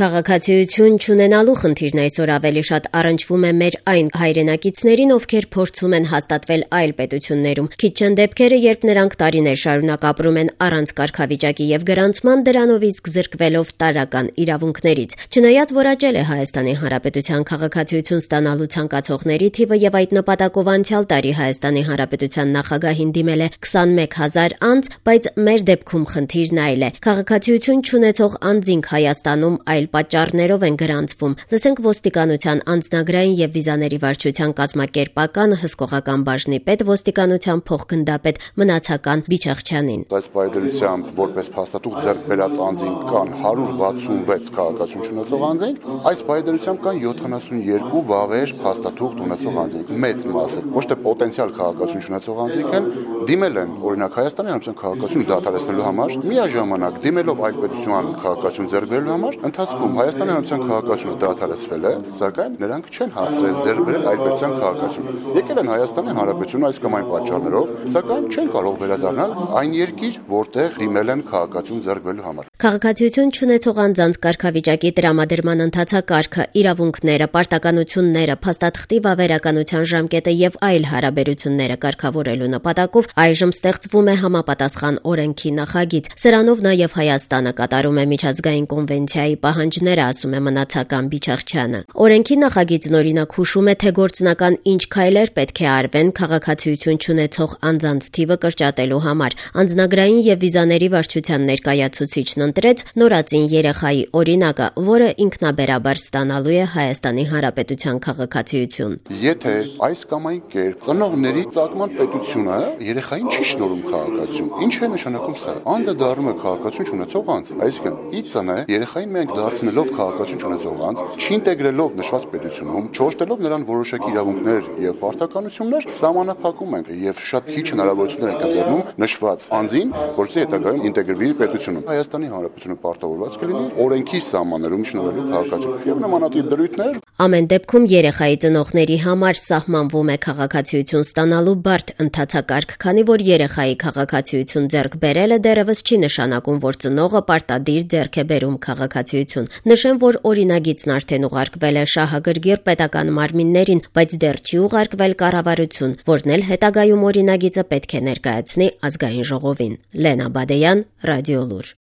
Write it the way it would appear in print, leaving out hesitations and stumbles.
Քաղաքացիություն չունենալու խնդիրն այսօր ավելի շատ առնչվում է մեր այն հայրենակիցներին, ովքեր փորձում են հաստատվել այլ պետություններում։ Քիչ չեն դեպքերը, երբ նրանք տարիներ շարունակ ապրում են առանց կարգավիճակի եւ գրանցման, դրանով իսկ զրկվելով տարրական իրավունքներից։ Չնայած որ աճել է Հայաստանի Հանրապետության քաղաքացիություն ստանալու ցանկացողների թիվը եւ այդ նպատակով անցյալ տարի Հայաստանի Հանրապետության նախագահին դիմել է 21,000 անձ, բայց մեր դեպքում խնդիրն այլ է։ Քաղաքացիություն չունեցող անձինք Հայաստանում այլ պատճառներով են գրանցվում։ Լսենք ոստիկանության անձնագրային եւ վիզաների վարչության կազմակերպական հսկողական բաժնի պետ ոստիկանության փոխգնդապետ Մնացական Բիչախչյանին։ Այս պայմանությամբ որպես փաստաթուղթ ձեռք բերած անձինք կան 166 քաղաքացիություն ունեցող անձինք, այս պայմանությամբ կան 72 վավեր փաստաթուղթ ունեցող անձինք։ Մեծ մասը ոչ թե պոտենցիալ քաղաքացիություն ունեցող անձինք են, դիմել են օրինակ Հայաստանի Հանրապետության քաղաքացիություն դադարեցնելու համար, միաժամանակ դիմելով այլ պետության քաղաքացիություն ձեռք բերելու համար, ընթացքում Հայաստանի Հանրապետության քաղաքացիությունը դադարեցվել է, սակայն նրանք չեն հասցրել ձեռք բերել այլ պետության քաղաքացիություն։ Եկել են Հայաստանի Հանրապետություն այս կամ այն պատճառներով, սակայն չեն կարող վերադառնալ այն երկիր, որտեղ դիմել են քաղաքացիություն ձեռք բերելու համար։ Քաղաքացիություն չունեցող անձանց կարգավիճակի տրամադրման ընթացակարգը, իրավունքները, պարտականությունները, փաստաթղթի վավերականության ժամկետը եւ այլ հարաբերությունները կարգավորելու նպատակով այժմ ստեղծվում է համապատասխան օրենքի նախագիծ։ Սրանով նաեւ Հայաստանը կատարում է միջազգային կոնվենցիայի պահանջները, ասում է Մնացական Բիչախչյանը։ Օրենքի նախագիծն օրինակ հուշում է, թե գործնական ինչ քայլեր պետք է արվեն քաղաքացիություն չունեցող անձանց թիվը կրճատելու համար։ Անձնագրային եւ վիզաների վարչության ներկայացուցիչն ընտրեց նորածին երեխայի օրինակը, որը ինքնաբերաբար ստանալու է Հայաստանի Հանրապետության քաղաքացիություն։ Եթե այս կամ այն կերպ ծնողների ծագման պետությունը երեխային չի շնորհում քաղաքացիություն, ինչ է նշանակում սա։ Անձը դառնում է քաղաքացիություն ունեցող անձ, այսինքն ի ծնե երեխային մենք դարձնելով քաղաքացիություն ունեցող անձ, չինտեգրելով նշված պետությունում, չօժտելով նրան որոշակի իրավունքներ եւ պարտականություններ, սահմանափակում ենք եւ շատ քիչ հնարավորություններ ենք ընձեռնում նշված անձին, որպեսզի հետագայում ինտեգրվի պետությունում։ Հայաստանի Հանրապետությունը պարտավորված կլինի օրենքի սահմաններում շնորհելու քաղաքացիություն եւ նմանատիպ դրույթներ։ Ամեն դեպքում երեխայի ծնողների համար սահմանվում է քաղաքացիություն ստանալու բարդ ընթացակարգ, քանի որ երեխայի քաղաքացիություն ձեռք բերելը դեռևս չի նշանակում, որ ծնողը պարտադիր ձեռք է բերում քաղաքացիություն։ Նշեմ, որ օրինագիծն արդեն ուղարկվել է շահագրգիռ պետական մարմիններին, բայց դեռ չի ուղարկվել կառավարություն, որն էլ հետագայում օրինագիծը պետք է ներկայացնի ազգային ժողովին։ Լենա Բադեյան, Ռադիոլուր։